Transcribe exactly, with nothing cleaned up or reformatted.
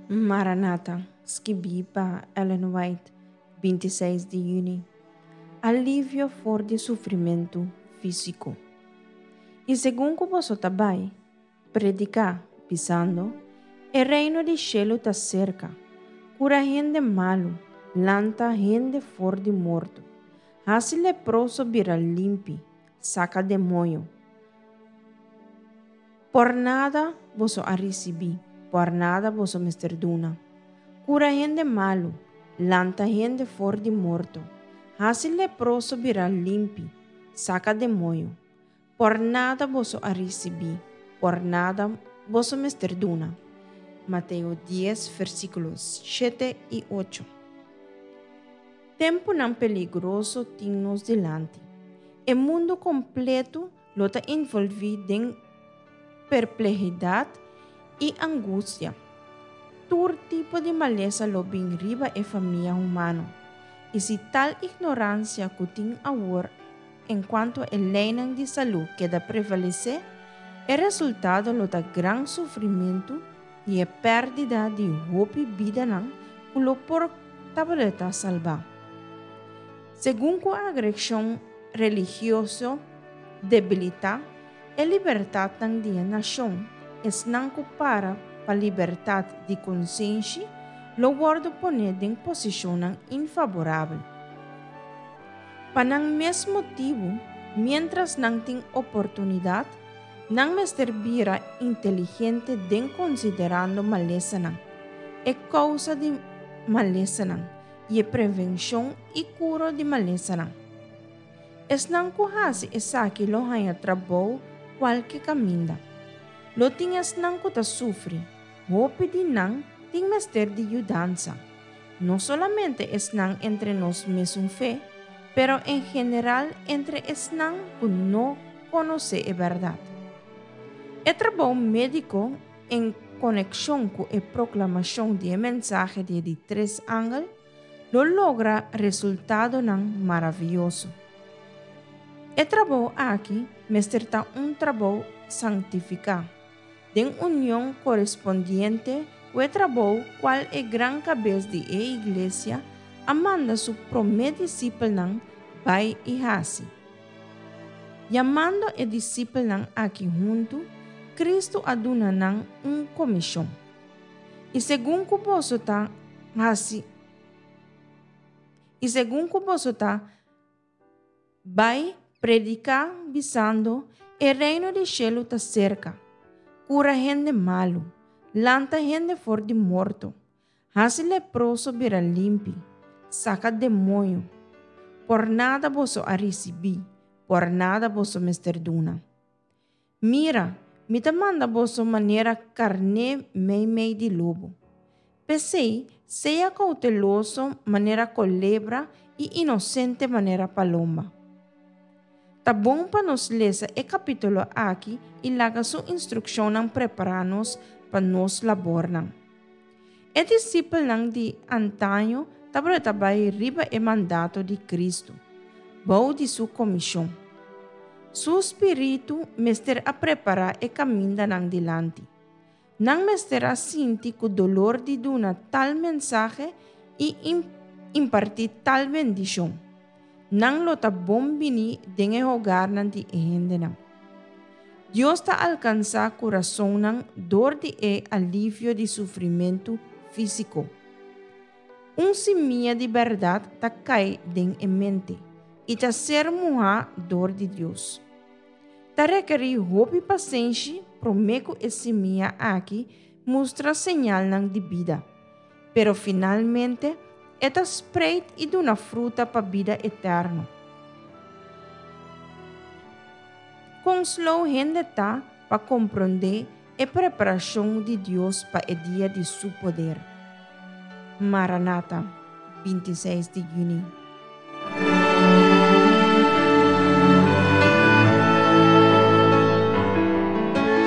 Maranata, skibí pa Ellen White, binti seis di yüni. Alivio for di sufrimentu físiko. I segun ku boso ta bai, prediká, bisando, E reino di shelu ta serka. Kura hende malu, lanta hende for di morto, hasi leproso bira limpi, saka demoño. Por nada boso a risibí, por nada boso mester duna. Kura hende malu, lanta hende for di morto, hasi leproso bira limpi, saka demoño. Por nada boso a risibí, por nada boso mester duna. Mateo dies, versíkulo shete i ocho. Tempunan peligroso tin nos dilanti. E mundu kompleto lo ta envolví den perplehidat i angustia. Tur tipo di malesa lo bin riba e famia humano. I si tal ignoransia ku tin awor enkuanto e leinan di salú keda prevalesé, e resultado lo ta gran sufrimentu i e pèrdida di hopi bidanan ku lo por tabata salbá. Segun ku agreshon religioso debilitá e libertatnan di e nashon, esnan ku para pa libertat di konsenshi lo wòrdu poné den posishonnan infaborabel. Pa nan mes motibu, miéntras nan tin oportunidat, nan mester bira inteligente den konsiderando malesanan, e kousa di malesanan i e prevenshon i kuro di malesanan. Esnan ku hasi esaki lo haña trabou kualke kaminda. Lo tin esnan ku ta sufri, hopi di nan tin mester di yudansa. No solamente esnan entre nos mesun fe, pero en general entre esnan ku no konosé e bèrdat. E trabou médiko en konekshon ku e proklamashon di e mensahe di e di tres angel lo logra resultadonan maravioso. E trabou aki mester ta un trabou sanktifiká, den union korespondiente ku e trabou kual e gran kabes di e Iglesia a manda su promé disipelnan bai i hasi. Yamando e disipelnan aki huntu, Kristu a duna nan un komishon. I segun ku boso ta hasi, i segun ku boso ta bai prediká bisando, E reino di shelu ta serka. Kura hende malu, lanta hende for di morto, hasi leproso bira limpi, saka demoño. Por nada boso a risibí, por nada boso mester duna. Mira, mi ta manda boso manera karné meimei di lobo. P'esei, sea kouteloso manera kolebra i inosente manera palomba. Ta bon pa nos lesa e kapítulo aki i laga su instrukshonnan prepará nos pa nos labornan. E disipelnan di antaño tabata bai riba e mandato di Kristu, bou di su komishon. Su spiritu mester a prepará e kaminda nan dilanti. Nan mester a sinti ku dolor di duna tal mensahe i impartí tal bendishon. Nan lo ta bon biní den e hogarnan di e hendenan. Dios ta alkansá kurasonnan dor di e alivio di sufrimentu físiko. Un simia di bèrdat ta kai den e mente i ta ser muhá dor di Dios. Ta rekerí hopi pasenshi promé ku e simia aki mustra señalnan di bida, pero finalmente e ta spreit i duna fruta pa bida eterno. Kon slow hende ta pa komprondé e preparashon di Dios pa e dia di su poder. Maranata, binti seis di yüni.